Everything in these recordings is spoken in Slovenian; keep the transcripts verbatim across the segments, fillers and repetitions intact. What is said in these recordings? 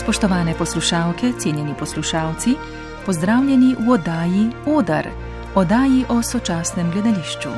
Spoštovane poslušalke, cenjeni poslušalci, pozdravljeni v oddaji Odar, oddaji o sočasnem gledališču.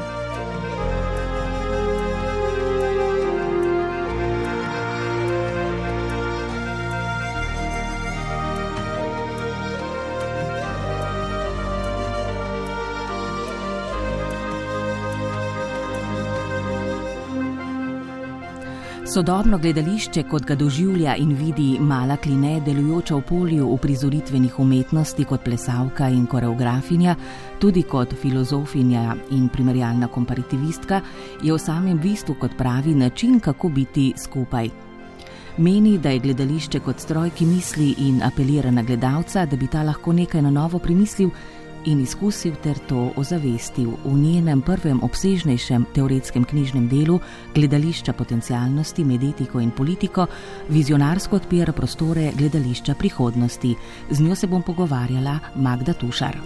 Sodobno gledališče, kot ga doživlja in vidi Mala Kline, delujoča v polju uprizoritvenih umetnosti kot plesalka in koreografinja, tudi kot filozofinja in primerjalna komparativistka, je v samem bistvu, kot pravi, način, kako biti skupaj. Meni, da je gledališče kot stroj, ki misli in apelira na gledalca, da bi ta lahko nekaj na novo premislil in izkusil ter to ozavestil. V njenem prvem obsežnejšem teoretskem knjižnem delu Gledališča potencialnosti med etiko in politiko vizionarsko odpira prostore gledališča prihodnosti. Z njo se bom pogovarjala Magda Tušar.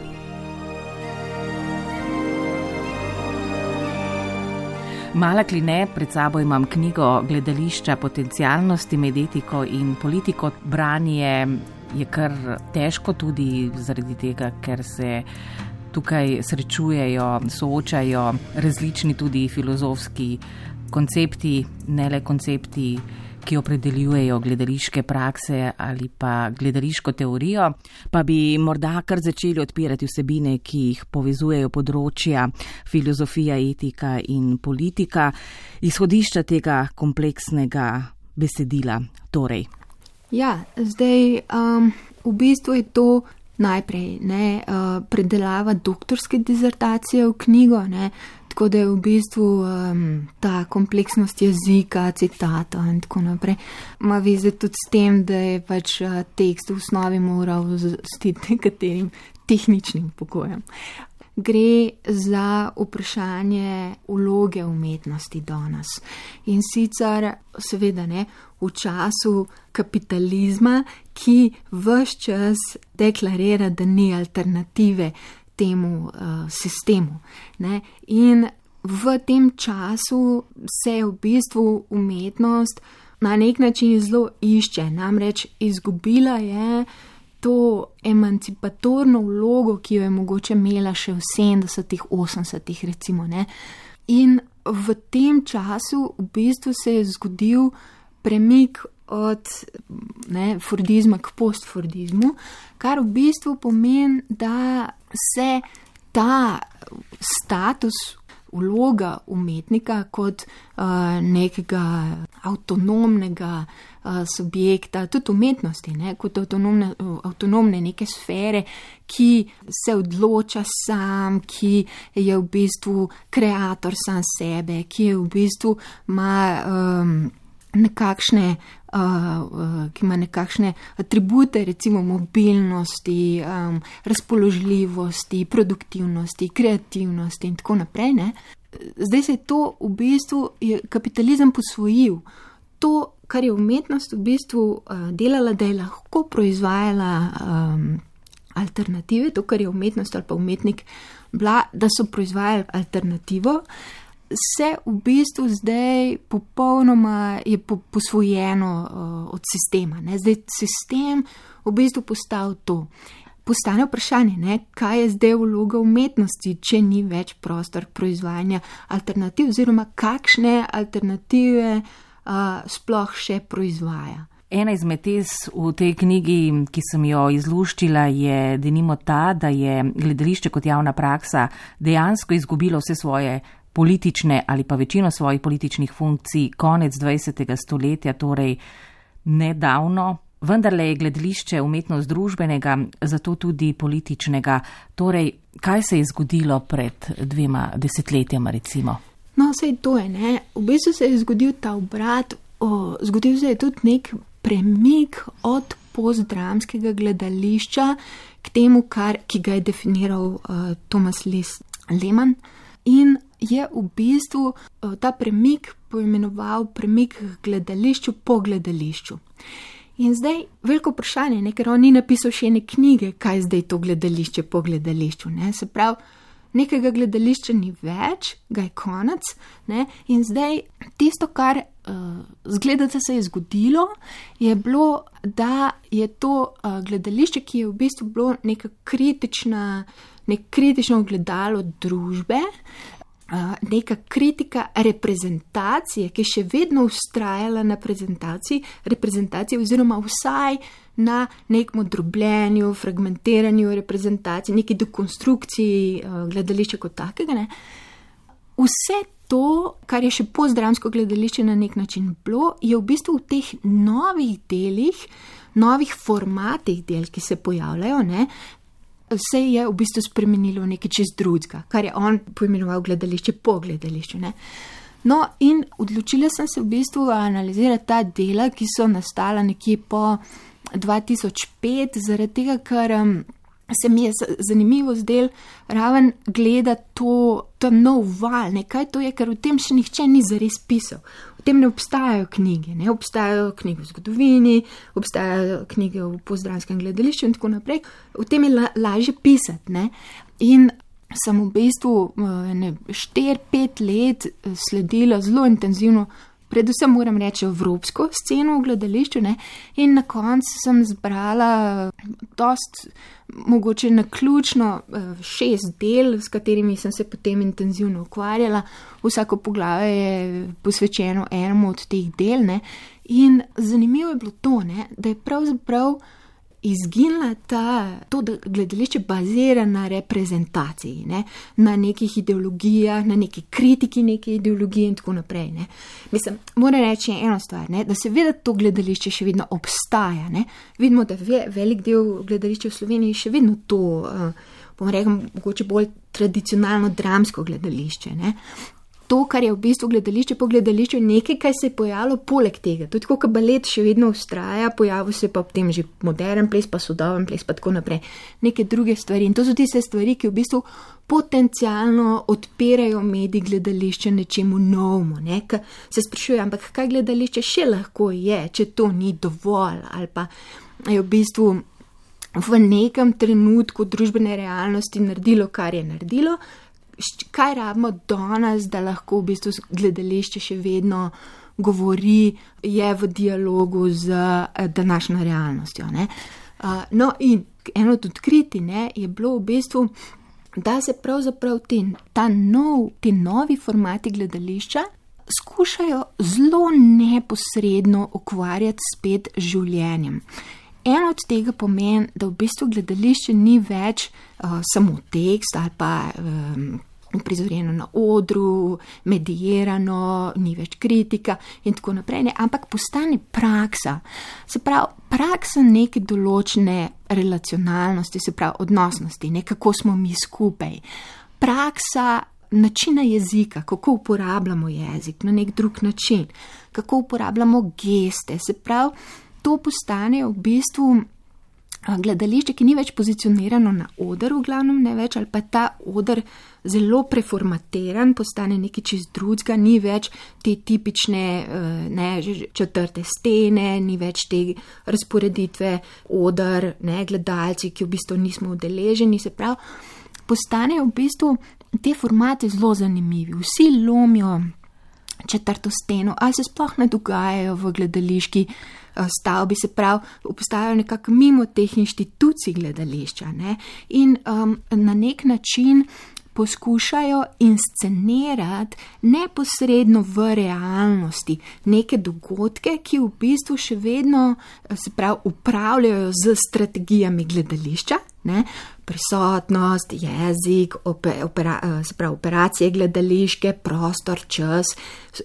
Mala Kline, pred sabo imam knjigo Gledališča potencialnosti med etiko in politiko. Branje je kar težko tudi zaradi tega, ker se tukaj srečujejo, soočajo različni tudi filozofski koncepti, ne le koncepti, ki opredeljujejo gledališke prakse ali pa gledališko teorijo, pa bi morda kar začeli odpirati vsebine, ki jih povezujejo področja filozofija, etika in politika, izhodišča tega kompleksnega besedila torej. Ja, zdaj um, v bistvu je to najprej ne, uh, predelava doktorske dizertacije v knjigo, ne, tako da je v bistvu um, ta kompleksnost jezika, citata in tako naprej. Ma veze tudi s tem, da je pač uh, tekst v osnovi moral zastiti nekaterim tehničnim pogojem. Gre za vprašanje vloge umetnosti danes. In sicer seveda ne, v času kapitalizma, ki ves čas deklarira, da ni alternative temu uh, sistemu. Ne. In v tem času se v bistvu umetnost na nek način zelo išče, namreč izgubila je to emancipatorno vlogo, ki jo je mogoče imela še v sedemdesetih, osemdesetih recimo, ne. In v tem času v bistvu se je zgodil premik od ne, fordizma k postfordizmu, kar v bistvu pomeni, da se ta status, vloga umetnika kot uh, nekega avtonomnega uh, subjekta, tudi umetnosti, ne, kot avtonomne, avtonomne neke sfere, ki se odloča sam, ki je v bistvu kreator sam sebe, ki je v bistvu ima um, nekakšne Uh, uh, ki ima nekakšne atribute, recimo mobilnosti, um, razpoložljivosti, produktivnosti, kreativnosti in tako naprej. Ne? Zdaj se je to v bistvu je kapitalizem posvojil. To, kar je umetnost v bistvu uh, delala, da je lahko proizvajala um, alternative, to, kar je umetnost ali pa umetnik bila, da so proizvajali alternativo, se v bistvu zdaj popolnoma je posvojeno uh, od sistema. Ne? Zdaj sistem v bistvu postal to. Postane vprašanje, ne? Kaj je zdaj vloga umetnosti, če ni več prostor proizvajanja alternativ, oziroma kakšne alternative uh, sploh še proizvaja. Ena izmed tez v tej knjigi, ki sem jo izluščila, je denimo ta, da je gledališče kot javna praksa dejansko izgubilo vse svoje politične ali pa večino svojih političnih funkcij konec dvajsetega stoletja, torej nedavno. Vendarle je gledališče umetnost družbenega, zato tudi političnega. Torej, kaj se je zgodilo pred dvema desetletjama recimo? No, sej to je, ne. V bistvu se je zgodil ta obrat, o, zgodil se je tudi nek premik od postdramskega gledališča k temu, kar, ki ga je definiral uh, Thomas Lis Lehmann. In je v bistvu ta premik poimenoval premik gledališču po gledališču. In zdaj veliko vprašanje, ne, ker on ni napisal še ene knjige, kaj zdaj to gledališče po gledališču. Ne. Se pravi, nekega gledališča ni več, ga je konec, ne? In zdaj tisto, kar uh, zgleda, da se je zgodilo, je bilo, da je to uh, gledališče, ki je v bistvu bilo neka kritična, nek kritično ogledalo družbe, uh, neka kritika reprezentacije, ki je še vedno ustrajala na prezentaciji, reprezentacije oziroma vsaj na nekem drobljenju, fragmentiranju reprezentacij, neki dekonstrukciji uh, gledališča kot takega. Ne. Vse to, kar je še postdramsko gledališče na nek način bilo, je v bistvu v teh novih delih, novih formatih del, ki se pojavljajo, ne, se je v bistvu spremenilo v nekaj čist drugega, kar je on poimenoval gledališče po gledališču. Ne. No, in odločila sem se v bistvu analizirati ta dela, ki so nastala nekje po dva tisoč pet, zaradi tega, ker um, se mi je zanimivo zdel raven gleda to, to nov val, ne, kaj to je, ker v tem še nihče ni zares pisal. V tem ne obstajajo knjige, ne obstajajo knjige v zgodovini, obstajajo knjige v postdramskem gledališču in tako naprej. V tem je la, lažje pisati, ne. In sem v bistvu ne, štiri, pet let sledila zelo intenzivno, predvsem moram reči evropsko sceno v gledališču, ne, in na koncu sem zbrala dost, mogoče naključno šest del, s katerimi sem se potem intenzivno ukvarjala. Vsako poglavje je posvečeno enemu od teh del, ne, in zanimivo je bilo to, ne, da je pravzaprav izginila ta, to, da gledališče bazira na reprezentaciji, ne, na nekih ideologijah, na neki kritiki neke ideologije in tako naprej. Ne. Mislim, moram reči eno stvar, ne, da seveda to gledališče še vedno obstaja. Ne. Vidimo, da ve, velik del gledališča v Sloveniji še vedno to, uh, bom rekel, mogoče bolj tradicionalno dramsko gledališče. Ne. To, kar je v bistvu gledališče po gledališču, je nekaj, kaj se je pojavilo poleg tega. Tudi kot balet še vedno ustraja, pojavil se pa potem že modern ples, pa sodoben ples, pa tako naprej. Neke druge stvari. In to so tiste stvari, ki v bistvu potencialno odpirajo medij gledališče nečemu novemu. Ne? Ka se sprašuje, ampak kaj gledališče še lahko je, če to ni dovolj, ali pa je v bistvu v nekem trenutku družbene realnosti naredilo, kar je naredilo. Kaj rabimo danes, da lahko v bistvu gledališče še vedno govori, je v dialogu z današnjo realnostjo. Ne? No in eno od odkriti, ne, je bilo v bistvu, da se pravzaprav te, ta nov, te novi formati gledališča skušajo zelo neposredno ukvarjati spet z življenjem. En od tega pomeni, da v bistvu gledališče ni več uh, samo tekst ali pa um, prizorjeno na odru, medijirano, ni več kritika in tako naprej, ne, ampak postane praksa. Se pravi, praksa neke določene relacionalnosti, se pravi odnosnosti, ne, kako smo mi skupaj. Praksa načina jezika, kako uporabljamo jezik na nek drug način, kako uporabljamo geste, se pravi, to postane v bistvu gledališče, ki ni več pozicionirano na oder, v glavnem ne več, ali pa ta oder zelo preformatiran, postane nekaj čist drugega, ni več te tipične ne, četrte stene, ni več te razporeditve oder, ne, gledalci, ki v bistvu nismo udeleženi, se pravi, postanejo v bistvu te formate zelo zanimivi, vsi lomijo četrto steno, ali se sploh ne dogajajo v gledališki stavbi, se pravi, obstajajo nekako mimo teh inštitucij gledališča, ne? In um, na nek način poskušajo inscenirati neposredno v realnosti neke dogodke, ki v bistvu še vedno, se pravi, upravljajo z strategijami gledališča, ne? Prisotnost, jezik, opera, se pravi, operacije gledališke, prostor, čas,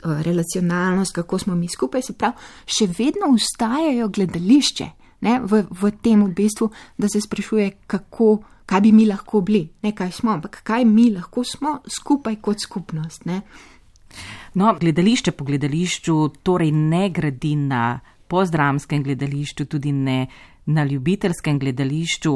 relacionalnost, kako smo mi skupaj, se pravi, še vedno ustajajo gledališče, ne, v, v tem v bistvu, da se sprašuje, kako, kaj bi mi lahko bili, ne kaj smo, ampak kaj mi lahko smo skupaj kot skupnost. Ne. No, gledališče po gledališču torej ne gradi na postdramskem gledališču, tudi ne na ljubiteljskem gledališču,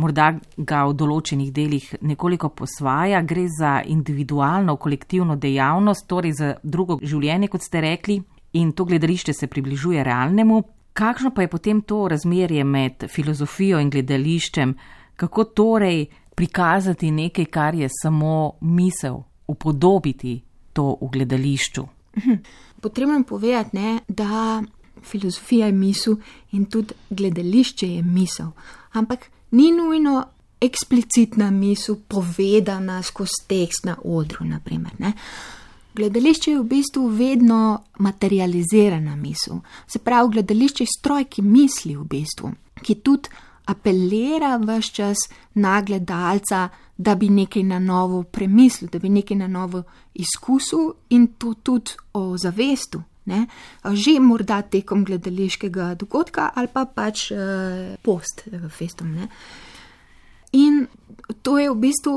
morda ga v določenih delih nekoliko posvaja, gre za individualno, kolektivno dejavnost, torej za drugo življenje, kot ste rekli, in to gledališče se približuje realnemu. Kakšno pa je potem to razmerje med filozofijo in gledališčem? Kako torej prikazati nekaj, kar je samo misel, upodobiti to v gledališču. Potrebno je povedati, ne, da filozofija je misel in tudi gledališče je misel. Ampak ni nujno eksplicitna misel povedana skozi tekst na odru, naprimer, ne. Gledališče je v bistvu vedno materializirana misel. Se pravi, gledališče je stroj, ki misli v bistvu, ki tudi apelira ves čas na gledalca, da bi nekaj na novo premislil, da bi nekaj na novo izkusil in to tudi o zavestu. Ne? Že morda tekom gledališkega dogodka ali pa pač eh, post festom. Ne? In to je v bistvu,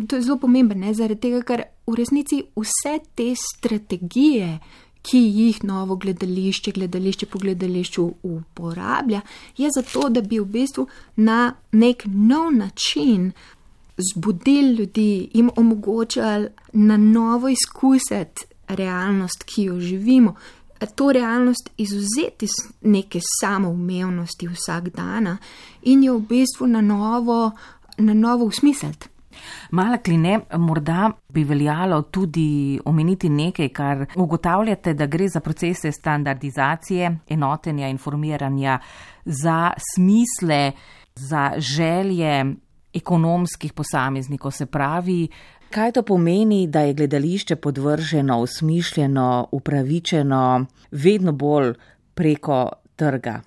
to je zelo pomembno, ne? Zaradi tega, ker v resnici vse te strategije, ki jih novo gledališče, gledališče po gledališču uporablja, je zato, da bi v bistvu na nek nov način zbudili ljudi, jim omogočali na novo izkusiti realnost, ki jo živimo. To realnost izvzeti iz neke samoumevnosti vsak dana in jo v bistvu na novo, na novo usmisliti. Mala Kline, morda bi veljalo tudi omeniti nekaj, kar ugotavljate, da gre za procese standardizacije, enotenja, informiranja, za smisle, za želje ekonomskih posameznikov, se pravi, kaj to pomeni, da je gledališče podvrženo, usmišljeno, upravičeno, vedno bolj preko trga?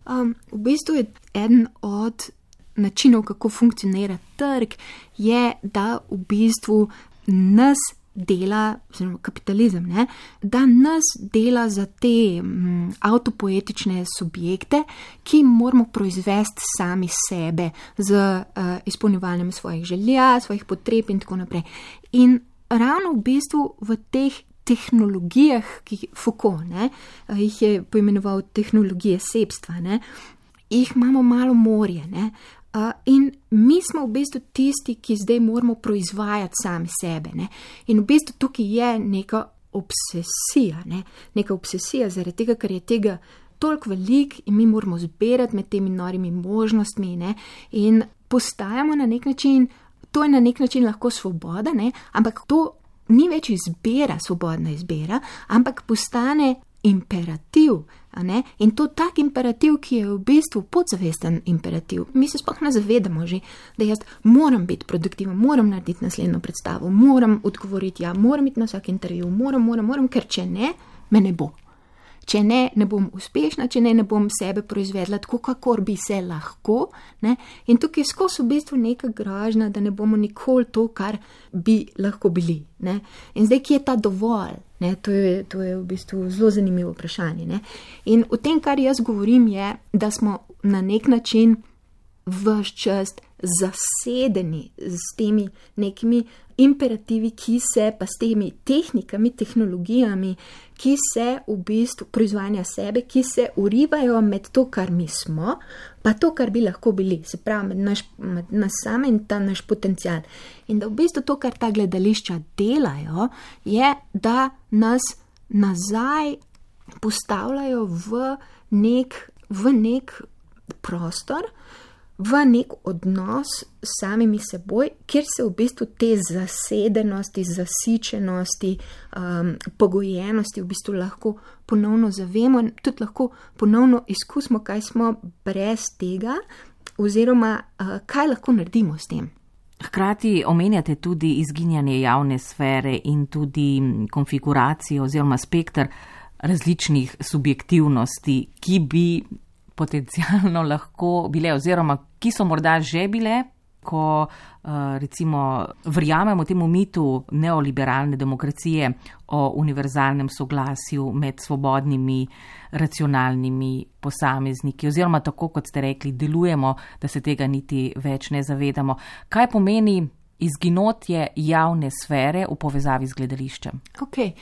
Um, v bistvu je eden od načinov, kako funkcionira trg, je, da v bistvu nas dela, oziroma kapitalizem, ne, da nas dela za te m, avtopoetične subjekte, ki moramo proizvesti sami sebe z uh, izpolnjevanjem svojih želja, svojih potreb in tako naprej. In ravno v bistvu v teh tehnologijah, ki Foucault, ne, jih je poimenoval tehnologije sebstva, ne, jih imamo malo morje, ne, Uh, in mi smo v bistvu tisti, ki zdaj moramo proizvajati sami sebe. Ne? In v bistvu tukaj je neka obsesija, ne? neka obsesija zaradi tega, ker je tega toliko velik in mi moramo zbirati med temi norimi možnostmi, ne? In postajamo na nek način, to je na nek način lahko svoboda, ne? Ampak to ni več izbira, svobodna izbira, ampak postane imperativ. Ne? In to tak imperativ, ki je v bistvu podzavesten imperativ. Mi se sploh ne zavedamo že, da jaz moram biti produktiven, moram narediti naslednjo predstavo, moram odgovoriti, ja, moram iti na vsak intervju, moram, moram, moram, ker če ne, me ne bo. Če ne, ne bom uspešna, če ne, ne bom sebe proizvedla tako, kakor bi se lahko. Ne? In tukaj je skozi v bistvu neka grožnja, da ne bomo nikoli to, kar bi lahko bili. Ne? In zdaj, kje je ta dovolj? Ne? To je, to je v bistvu zelo zanimivo vprašanje. Ne? In v tem, kar jaz govorim, je, da smo na nek način ves čas zasedeni s temi nekimi imperativi, ki se pa s temi tehnikami, tehnologijami, ki se v bistvu proizvajanja sebe, ki se urivajo med to, kar mi smo, pa to, kar bi lahko bili, se pravi med naš, med nas same in ta naš potencial. In da v bistvu to, kar ta gledališča delajo, je, da nas nazaj postavljajo v nek, v nek prostor, v nek odnos s samimi seboj, kjer se v bistvu te zasedenosti, zasičenosti, um, pogojenosti v bistvu lahko ponovno zavemo in tudi lahko ponovno izkusimo, kaj smo brez tega oziroma uh, kaj lahko naredimo s tem. Hkrati omenjate tudi izginjanje javne sfere in tudi konfiguracijo oziroma spektr različnih subjektivnosti, ki bi potencialno lahko bile oziroma ki so morda že bile, ko recimo verjamemo temu mitu neoliberalne demokracije o univerzalnem soglasju med svobodnimi, racionalnimi posamezniki oziroma tako, kot ste rekli, delujemo, da se tega niti več ne zavedamo. Kaj pomeni izginotje javne sfere v povezavi z gledališčem? Okay.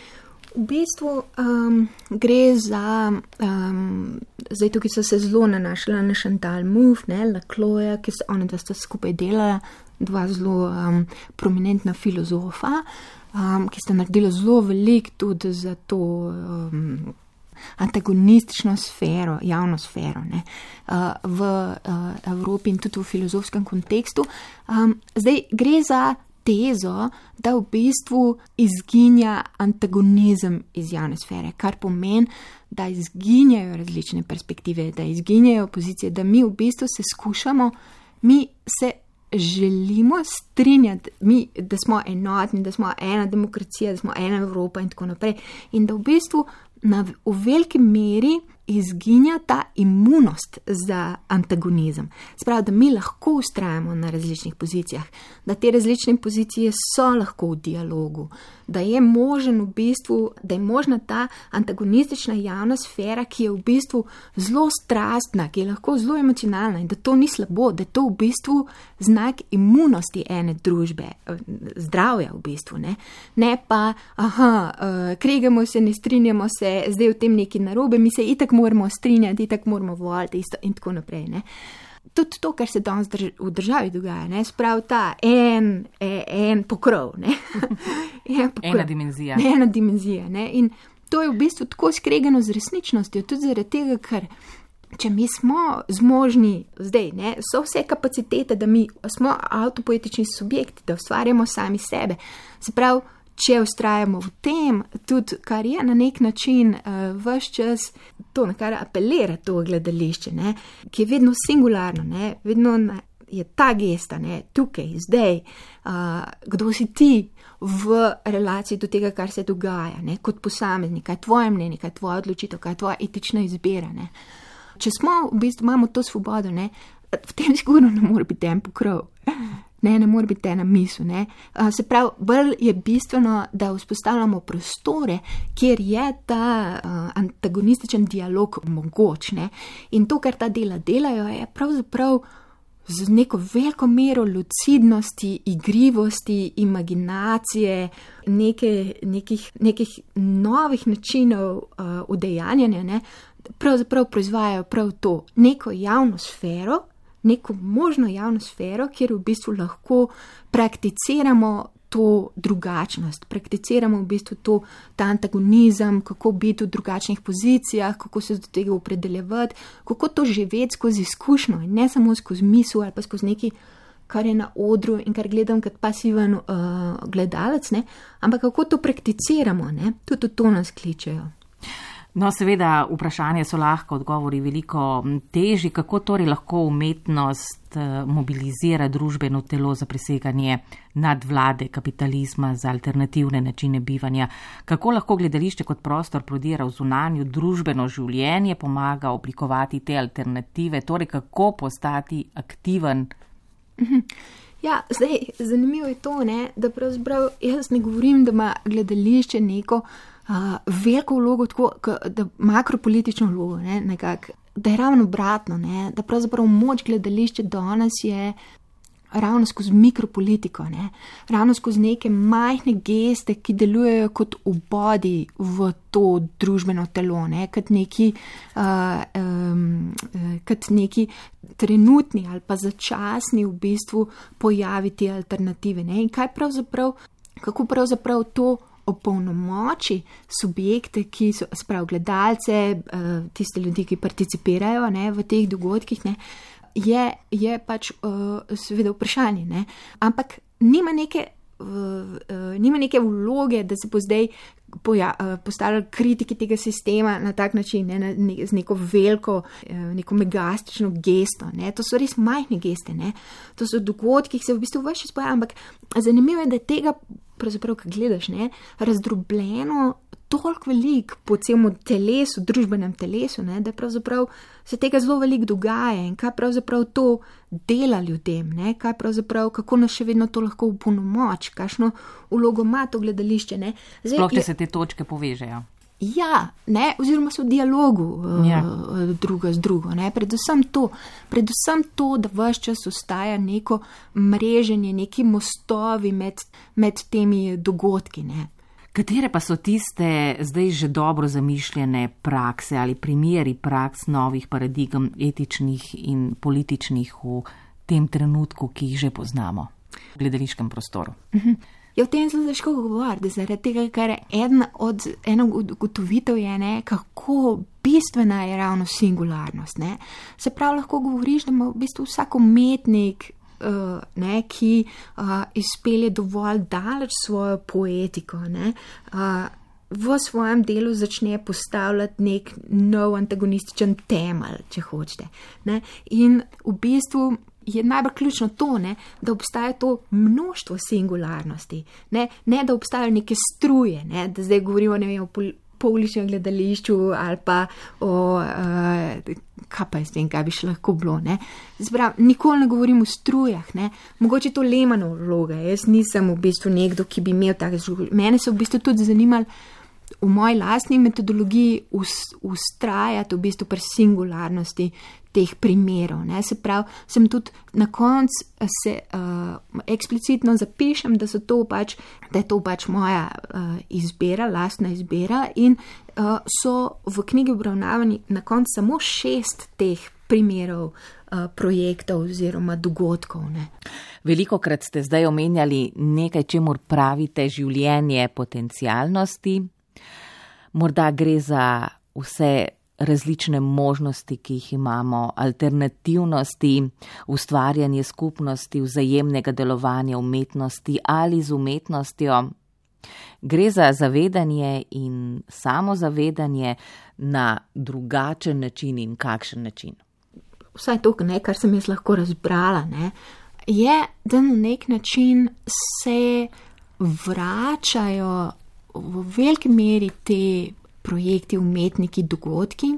V bistvu um, gre za, um, zdaj tukaj so se zelo nanašala na Chantal Mouffe, ne, Lacloja, ki so ona dva sta skupaj delala, dva zelo um, prominentna filozofa, um, ki sta naredila zelo veliko tudi za to, um, antagonistično sfero, javno sfero, ne, v Evropi in tudi v filozofskem kontekstu. Zdaj gre za tezo, da v bistvu izginja antagonizem iz javne sfere, kar pomeni, da izginjajo različne perspektive, da izginjajo pozicije, da mi v bistvu se skušamo, mi se želimo strinjati, mi, da smo enotni, da smo ena demokracija, da smo ena Evropa in tako naprej. In da v bistvu na, v veliki meri izginja ta imunost za antagonizem. Spravi, da mi lahko ustrajamo na različnih pozicijah, da te različne pozicije so lahko v dialogu, da je možen v bistvu, da je možna ta antagonistična javna sfera, ki je v bistvu zelo strastna, ki je lahko zelo emocionalna in da to ni slabo, da je to v bistvu znak imunosti ene družbe, zdravja v bistvu, ne, ne pa, aha, kregamo se, ne strinjamo se, zdaj v tem neki narobe, mi se itak moramo strinjati, itak moramo voliti isto in tako naprej, ne. Tudi to, kar se danes v državi dogaja, ne, sprav ta en, en pokrov, ne. en pokrov. Ena dimenzija. Ne, ena dimenzija, ne, in to je v bistvu tako skregano z resničnostjo, tudi zaradi tega, ker če mi smo zmožni zdaj, ne, so vse kapacitete, da mi smo avtopoetični subjekti, da ustvarjamo sami sebe, se pravi, če ustrajamo v tem, tudi kar je na nek način uh, ves čas to, na kar apelira to gledališče, ne, ki je vedno singularno, ne, vedno na, je ta gesta, ne, tukaj, zdaj, uh, kdo si ti v relaciji do tega, kar se dogaja, ne, kot posameznik, kaj je tvoje mnenje, kaj je tvoja odločitev, kaj je tvoja etična izbira, ne. Če smo, v bistvu imamo to svobodo, ne, v tem sigurno ne more biti en pokrov. Ne, ne more biti ena misel, ne. Se pravi, bolj je bistveno, da vzpostavljamo prostore, kjer je ta uh, antagonističen dialog mogoč, ne. In to, kar ta dela delajo, je pravzaprav z neko veliko mero lucidnosti, igrivosti, imaginacije, neke, nekih, nekih novih načinov uh, udejanjanja, ne, pravzaprav proizvajajo prav to, neko javno sfero, neko možno javno sfero, kjer v bistvu lahko prakticiramo to drugačnost, prakticiramo v bistvu to, ta antagonizem, kako biti v drugačnih pozicijah, kako se do tega opredeljevati, kako to živeti skozi izkušnjo in ne samo skozi misel ali pa skozi nekaj, kar je na odru in kar gledam kot pasiven uh, gledalec, ne, ampak kako to prakticiramo, ne, tudi to nas kličejo. No, seveda, vprašanje so lahko, odgovori veliko težji. Kako torej lahko umetnost mobilizira družbeno telo za preseganje nadvlade kapitalizma, za alternativne načine bivanja? Kako lahko gledališče kot prostor prodira v zunanjo družbeno življenje, pomaga oblikovati te alternative, torej kako postati aktiven? Ja, zdaj, zanimivo je to, ne, da pravzaprav jaz ne govorim, da ima gledališče neko Uh, veliko vlogo, tako, da makropolitično vlogo, ne, nekako, da je ravno obratno, ne, da pravzaprav moč gledališča danes je ravno skozi mikropolitiko, ne, ravno skozi neke majhne geste, ki delujejo kot obodi v to družbeno telo, ne, kot neki, uh, um, kot neki trenutni ali pa začasni v bistvu pojaviti alternative, ne, in kaj pravzaprav, kako pravzaprav to opolnomoči subjekte, ki so, sprav gledalce, tiste ljudi, ki participirajo, ne, v teh dogodkih, ne, je, je pač uh, seveda vprašanje, ne, ampak nima neke, uh, uh, nima neke vloge, da se bo zdaj poja, uh, postavljali kritiki tega sistema na tak način, ne, na, ne, z neko veliko, uh, neko megastično gesto, ne, to so res majhne geste, ne, to so dogodki, ki se v bistvu več izpojajo, ampak zanimivo je, da tega pravzaprav, ko gledaš, ne, razdrobljeno toliko veliko po celem telesu, družbenem telesu, ne, da pravzaprav se tega zelo veliko dogaja in kaj pravzaprav to dela ljudem, ne, kaj pravzaprav, kako nas še vedno to lahko opolnomoči, kakšno vlogo ima to gledališče, ne. Zdaj, sploh, če se te točke povežejo. Ja, ne, oziroma so v dialogu ja. uh, druga z drugo, ne, predvsem to, predvsem to, da ves čas ostaja neko mreženje, neki mostovi med, med temi dogodki, ne. Katere pa so tiste zdaj že dobro zamišljene prakse ali primeri praks novih paradigem etičnih in političnih v tem trenutku, ki jih že poznamo v gledališkem prostoru? Uh-huh. Ja, v tem zelo težko govoriti, zaradi tega, ker ena od eno ugotovitev je, ne, kako bistvena je ravno singularnost. Ne. Se pravi, lahko govoriš, da ima v bistvu vsak umetnik, uh, ne, ki uh, izpelje dovolj daleč svojo poetiko, ne, uh, v svojem delu začne postavljati nek nov antagonističen temelj, če hočete. Ne. In v bistvu je najbolj ključno to, ne, da obstaja to množstvo singularnosti, ne, ne da obstajajo neke struje, ne, da zdaj govorimo ne vem, o pol, pouličnem gledališču ali pa o, uh, kaj pa jaz vem, kaj bi še lahko bilo. Ne. Zbrav, nikoli ne govorim o strujah, ne. Mogoče to Lehmannova vloga, jaz nisem v bistvu nekdo, ki bi imel take struje. Mene so v bistvu tudi zanimali v moji lastni metodologiji ustrajati v bistvu pri singularnosti teh primerov. Ne. Se pravi, sem tudi na koncu se uh, eksplicitno zapišem, da, so to pač, da je to pač moja uh, izbira, lastna izbira in uh, so v knjigi obravnavani na koncu samo šest teh primerov uh, projektov oziroma dogodkov. Ne. Velikokrat ste zdaj omenjali nekaj, čemur pravite življenje potencialnosti. Morda gre za vse različne možnosti, ki jih imamo, alternativnosti, ustvarjanje skupnosti, vzajemnega delovanja umetnosti ali z umetnostjo. Gre za zavedanje in samozavedanje na drugačen način in kakšen način. Vsaj to, ne, kar sem jaz lahko razbrala, ne, je, da na nek način se vračajo v veliki meri te projekti, umetniki, dogodki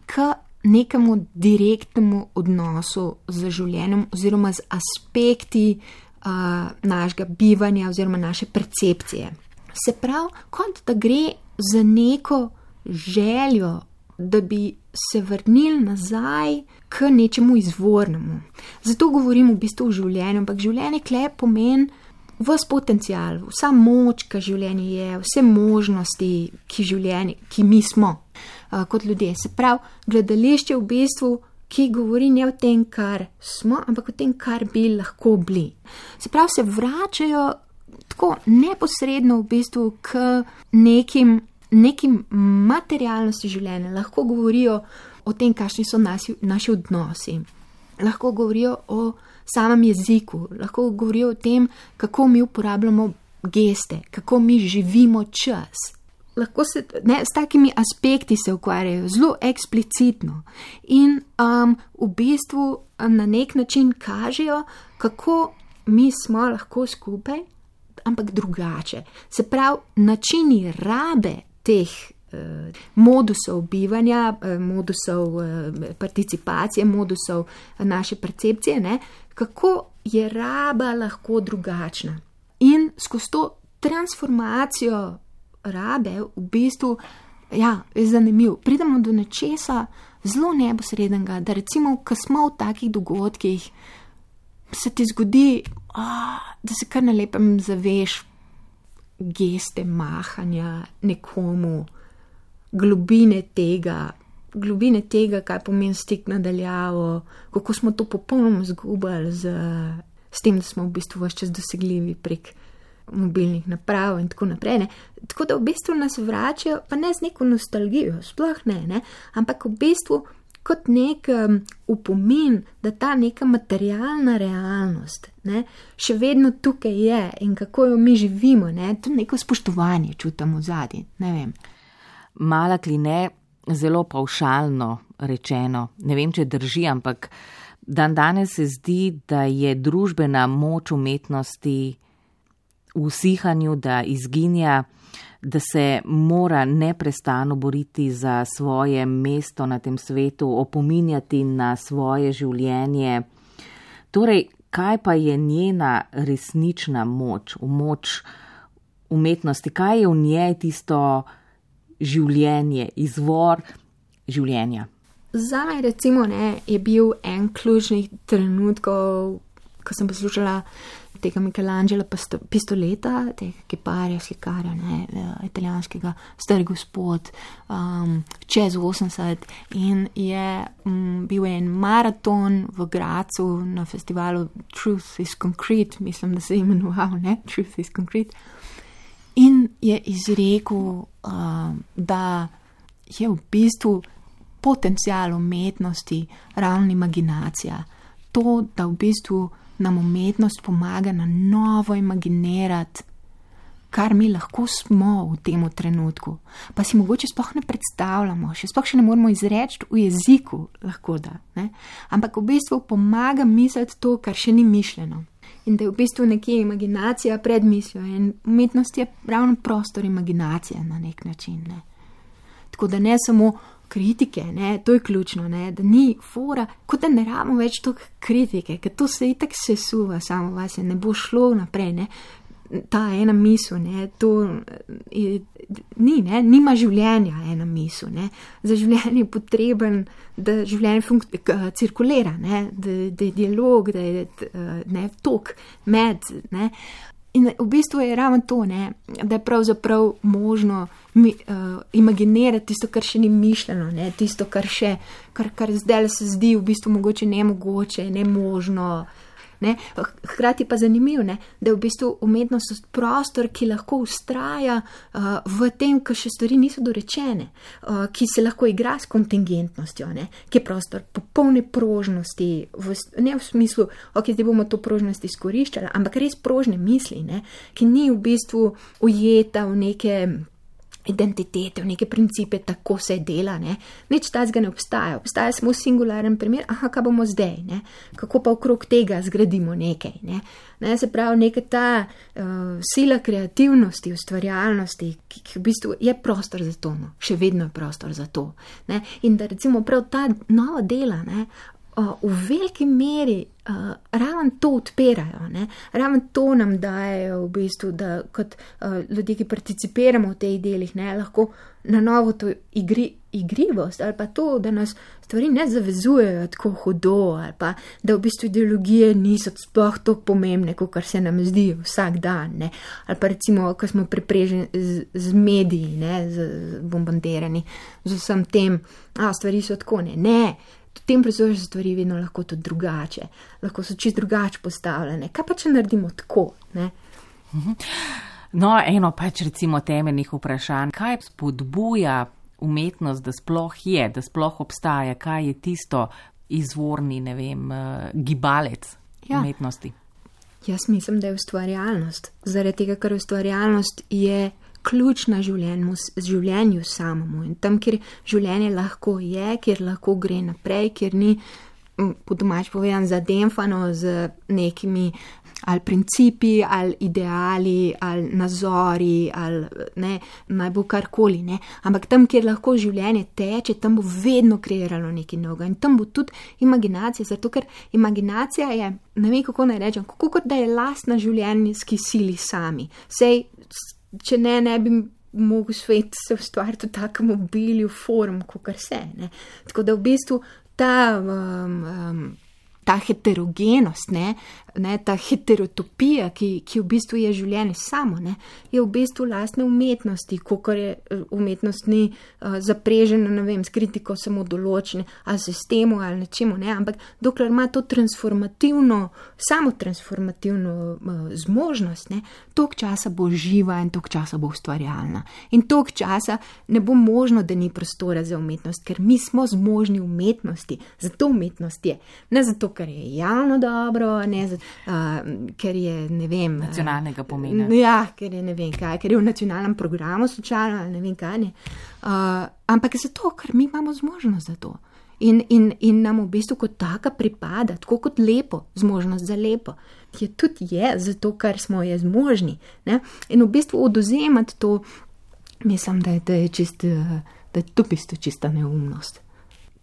k nekemu direktnemu odnosu z življenjem oziroma z aspekti uh, našega bivanja oziroma naše percepcije. Se pravi, kot da gre za neko željo, da bi se vrnili nazaj k nečemu izvornemu. Zato govorim v bistvu o življenju, ampak življenje kle pomeni ves potencial, vsa moč, ki življenje je, vse možnosti, ki, življenje, ki mi smo uh, kot ljudje. Se pravi, gledališče v bistvu, ki govori ne o tem, kar smo, ampak o tem, kar bi lahko bili. Se pravi, se vračajo tako neposredno v bistvu k nekim, nekim materialnosti življenja. Lahko govorijo o tem, kakšni so naši, naši odnosi. Lahko govorijo o samem jeziku, lahko govorijo o tem, kako mi uporabljamo geste, kako mi živimo čas. Lahko se, ne, s takimi aspekti se ukvarjajo zelo eksplicitno in um, v bistvu na nek način kažejo, kako mi smo lahko skupaj, ampak drugače. Se pravi, načini rabe teh modusov bivanja, modusov participacije, modusov naše percepcije, ne, kako je raba lahko drugačna. In skozi to transformacijo rabe v bistvu, ja, je zanimiv. Pridemo do nečesa zelo neposrednega, da recimo, ko smo v takih dogodkih, se ti zgodi, oh, da se kar na lepem zaveš geste mahanja nekomu, globine tega, globine tega, kaj pomeni stik nadaljavo, kako smo to popolnoma zgubili z, s tem, da smo v bistvu vse čas dosegljivi prek mobilnih naprav in tako naprej. Ne. Tako da v bistvu nas vračajo, pa ne z neko nostalgijo, sploh ne, ne, ampak v bistvu kot nek um, upomin, da ta neka materialna realnost, ne, še vedno tukaj je in kako jo mi živimo, ne, to neko spoštovanje čutimo zadnji, ne vem. Mala Kline, zelo pavšalno rečeno, ne vem, če drži, ampak dan danes se zdi, da je družbena moč umetnosti v usihanju, da izginja, da se mora neprestano boriti za svoje mesto na tem svetu, opominjati na svoje življenje. Torej, kaj pa je njena resnična moč, moč umetnosti, kaj je v njej tisto življenje, izvor življenja? Zame recimo ne, je bil en ključnih trenutkov, ko sem poslušala tega Michelangela Pistoleta, tega kiparja, slikarja, ne, italijanskega, stari gospod, um, čez osemdeset in je um, bil en maraton v Gracu na festivalu Truth is Concrete, mislim, da se je imenoval, ne, Truth is Concrete, in je izrekel, uh, da je v bistvu potencial umetnosti ravno imaginacija. To, da v bistvu nam umetnost pomaga na novo imaginirati, kar mi lahko smo v tem trenutku. Pa si mogoče sploh ne predstavljamo, še sploh še ne moramo izreči v jeziku, lahko da. Ne? Ampak v bistvu pomaga misliti to, kar še ni mišljeno. In da je v bistvu nekje imaginacija pred mislijo. In umetnost je ravno prostor imaginacije na nek način. Ne? Tako da ne samo kritike, ne, to je ključno, ne, da ni fora, kot da ne rabimo več toliko kritike, ker to se itak sesuva samo vas, ne bo šlo naprej, ne, ta ena misel, ne, to je, ni, ne, nima življenja ena misel, ne, za življenje je potreben, da življenje funk- cirkulira, ne, da, da je dialog, da je, ne, tok med, ne. In v bistvu je ravno to, ne, da je pravzaprav možno mi, uh, imaginirati tisto, kar še ni mišljeno, ne, tisto, kar še, kar, kar zdaj se zdi v bistvu mogoče nemogoče, nemožno. Ne. Hkrati pa zanimivo, ne, da je v bistvu umetnost prostor, ki lahko ustraja uh, v tem, ko še stvari niso dorečene, uh, ki se lahko igra s kontingentnostjo, ne, ki je prostor popolne prožnosti, v, ne v smislu, ok, zdaj bomo to prožnost izkoriščali, ampak res prožne misli, ne, ki ni v bistvu ujeta v neke identitete, v neke principe, tako se dela, ne. Nič tazga ne obstaja. Obstaja samo singularen primer, aha, kaj bomo zdaj, ne. Kako pa okrog tega zgradimo nekaj, ne. Ne, se pravi, neka ta uh, sila kreativnosti, ustvarjalnosti, ki, ki v bistvu je prostor za to, no. Še vedno je prostor za to, ne. In da recimo prav ta nova dela, ne, uh, v veliki meri uh, raven to odpirajo, ne. Raven to nam dajejo v bistvu, da kot uh, ljudje, ki participiramo v teh delih, ne, lahko na novo to igri, igrivost ali pa to, da nas stvari ne zavezujejo tako hudo ali pa da v bistvu ideologije niso sploh tako pomembne, kot kar se nam zdi vsak dan, ne. Ali pa recimo, ko smo prepreženi z, z mediji, ne, z, z bombardirani z vsem tem, a stvari so tako, ne, ne. V tem prostoru so stvari vedno lahko tudi drugače, lahko so čisto drugače postavljene. Kaj pa, če naredimo tako, ne? No, eno pač recimo temeljnih vprašanj, kaj spodbuja umetnost, da sploh je, da sploh obstaja, kaj je tisto izvorni, ne vem, gibalec ja. umetnosti? Jaz mislim, da je ustvarjalnost. Zaradi tega, ker ustvarjalnost je ključ na življenju, življenju samomu in tam, kjer življenje lahko je, kjer lahko gre naprej, kjer ni, po domač povedan, zademfano z nekimi ali principi, ali ideali, ali nazori, ali ne, naj bo karkoli, ne. Ampak tam, kjer lahko življenje teče, tam bo vedno kreiralo nekaj novega in tam bo tudi imaginacija, zato ker imaginacija je, ne vem, kako naj rečem, kako kot da je lastna življenjski sili sami. Sej, če ne, ne bi mogel svet se ustvariti v takem obilju form, kakor se, ne. Tako da v bistvu ta, um, um, ta heterogenost, ne, ne, ta heterotopija, ki, ki v bistvu je življenje samo, ne, je v bistvu lastne umetnosti, kakor je umetnost ni uh, zaprežena, ne vem, s kritiko samo določene, ali sistemu, ali nečemu, ne, ampak dokler ima to transformativno, samo transformativno uh, zmožnost, ne, toliko časa bo živa in toliko časa bo ustvarjalna. In toliko časa ne bo možno, da ni prostora za umetnost, ker mi smo zmožni umetnosti, zato umetnost je, ne zato, ker je javno dobro, ne zato, Uh, ker je, ne vem... Nacionalnega pomena. Uh, ja, ker je, ne vem kaj, ker je v nacionalnem programu slučajno, ne vem kaj, ne. Uh, ampak zato, ker mi imamo zmožnost za to. In, in, in nam v bistvu kot taka pripada, tako kot lepo, zmožnost za lepo, je tudi je, zato, ker smo je zmožni, ne. In v bistvu oduzemati to, mislim, da je, da je čist, da je to bistvo čista neumnost.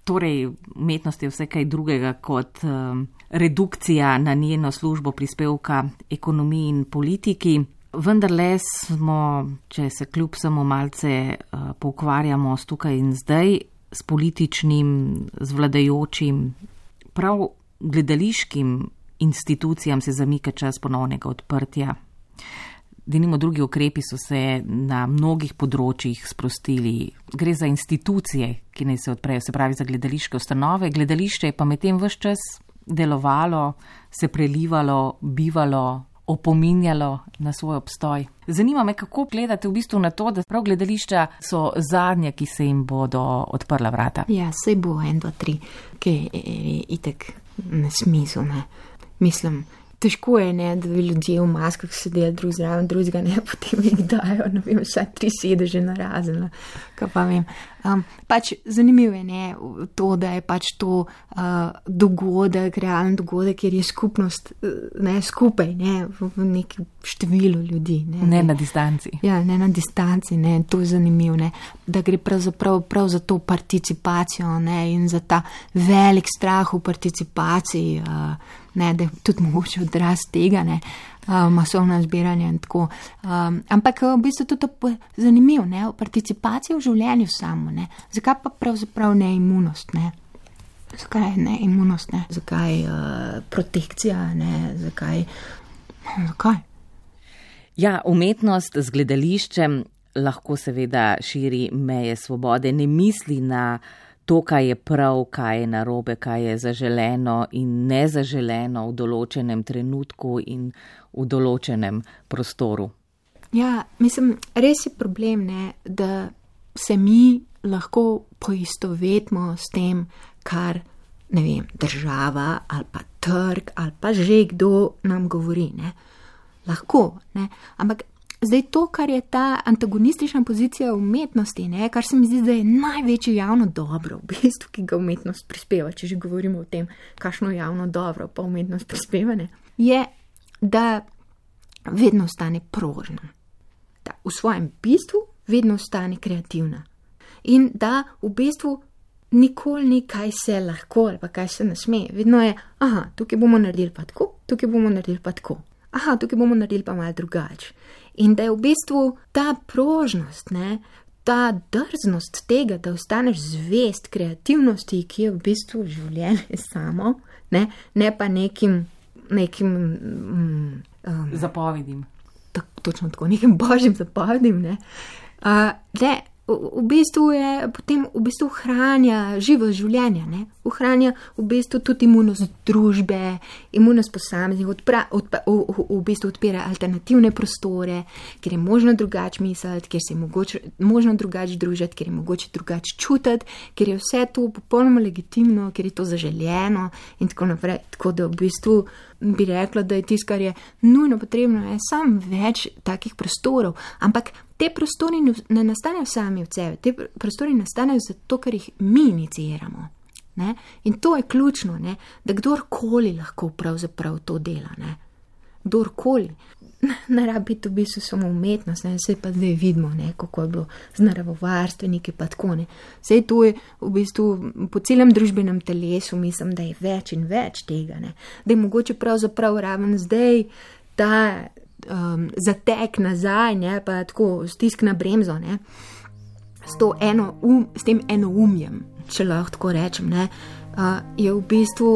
Torej, umetnost je vse kaj drugega kot um, redukcija na njeno službo prispevka ekonomiji in politiki. Vendarle smo, če se kljub samo malce uh, poukvarjamo s tukaj in zdaj, s političnim, z vladajočim, prav gledališkim institucijam se zamika čas ponovnega odprtja. Denimo drugi ukrepi so se na mnogih področjih sprostili. Gre za institucije, ki naj se odprejo, se pravi za gledališke ustanove. Gledališče je pa medtem ves čas delovalo, se prelivalo, bivalo, opominjalo na svoj obstoj. Zanima me, kako gledate v bistvu na to, da prav gledališča so zadnje, ki se jim bodo odprla vrata. Ja, sej bo en, dva, tri, ki je itek na smislu, ne. Mislim, težko je, ne, da bi ljudje v maskah sedeli drug zraven, drugega ne, potem jih dajo, ne vem, vsaj tri sedeže narazen, kaj pa vem. Um, pač zanimivo je, ne, to, da je pač to uh, dogodek, realen dogodek, kjer je skupnost, ne, skupaj, ne, v, v nekem številu ljudi. Ne, ne na distanci. Ja, ne na distanci, ne, to je zanimivo, ne, da gre pravzaprav prav za to participacijo, ne, in za ta velik strah v participaciji, uh, ne, da je tudi mogoče odraz tega, ne, uh, masovno zbiranje in tako. Um, ampak v bistvu tudi to zanimivo, ne, participacija v življenju samo, ne. Zakaj pa pravzaprav ne imunost, ne? Zakaj ne imunost, ne? Zakaj uh, protekcija, ne? Zakaj? Zakaj? Ja, umetnost z gledališčem lahko seveda širi meje svobode, ne misli na to, kaj je prav, kaj je narobe, kaj je zaželeno in nezaželeno v določenem trenutku in v določenem prostoru. Ja, mislim, res je problem, ne, da se mi lahko poistovetimo s tem, kar, ne vem, država ali pa trg ali pa že kdo nam govori, ne. Lahko, ne, ampak zdaj to, kar je ta antagonistična pozicija umetnosti, ne, kar se mi zdi, da je največje javno dobro, v bistvu, ki ga umetnost prispeva, če že govorimo o tem, kakšno javno dobro pa umetnost prispeva, ne, je, da vedno ostane prožna, da v svojem bistvu vedno ostane kreativna in da v bistvu nikoli ni, kaj se lahko ali pa kaj se ne sme, vedno je, aha, tukaj bomo naredili pa tako, tukaj bomo naredili pa tako. Aha, tukaj bomo naredili pa malo drugače. In da je v bistvu ta prožnost, ne, ta drznost tega, da ostaneš zvest kreativnosti, ki je v bistvu življenje samo, ne, ne pa nekim, nekim um, um, zapovedim. Tak, točno tako, nekim božjim zapovedim, ne. Uh, ne, v, v bistvu je potem v bistvu hranja živo življenja, ne. Ohranja v bistvu tudi imunost družbe, imunost posameznih, odpra, odpa, v, v, v bistvu odpira alternativne prostore, kjer je možno drugače misliti, kjer se je mogoče, možno drugače družiti, kjer je mogoče drugače čutiti, kjer je vse to popolnoma legitimno, kjer je to zaželjeno in tako naprej. Tako da v bistvu bi rekla, da je tisto, kar je nujno potrebno, je sam več takih prostorov, ampak te prostori ne nastanejo sami od sebe, te prostori nastanejo zato, ker jih mi iniciramo. Ne? In to je ključno, ne? Da kdorkoli lahko pravzaprav to dela, ne? Kdorkoli. Ne rabi to v bistvu samo umetnost, ne? Saj pa zdaj vidimo, ne? Kako je bilo z naravovarstveniki pa tako, ne? Saj to je v bistvu po celem družbenem telesu, mislim, da je več in več tega, ne? Da je mogoče pravzaprav raven zdaj ta um, zatek nazaj, ne? Pa tako stisk na bremzo, ne? S, to eno um, s tem enoumjem, če lahko tako rečem, ne, uh, je v bistvu,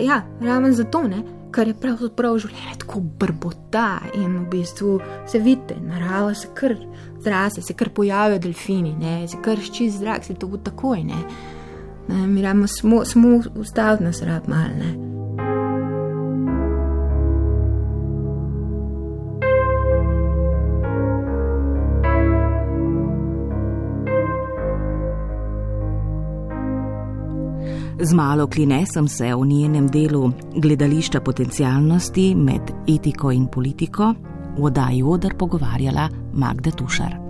ja, raven zato, ne, kar je pravzaprav življenje tako brbota in v bistvu se vidite, narava se kar zrase, se kar pojavijo delfini, ne, se kar ščist zrak, se to bo takoj, ne, ne mi rabimo samo, samo ustaviti nas rab mal, ne. Z Malo Kline sem se v njenem delu Gledališča potencialnosti med etiko in politiko v oddaji Oder pogovarjala Magda Tušar.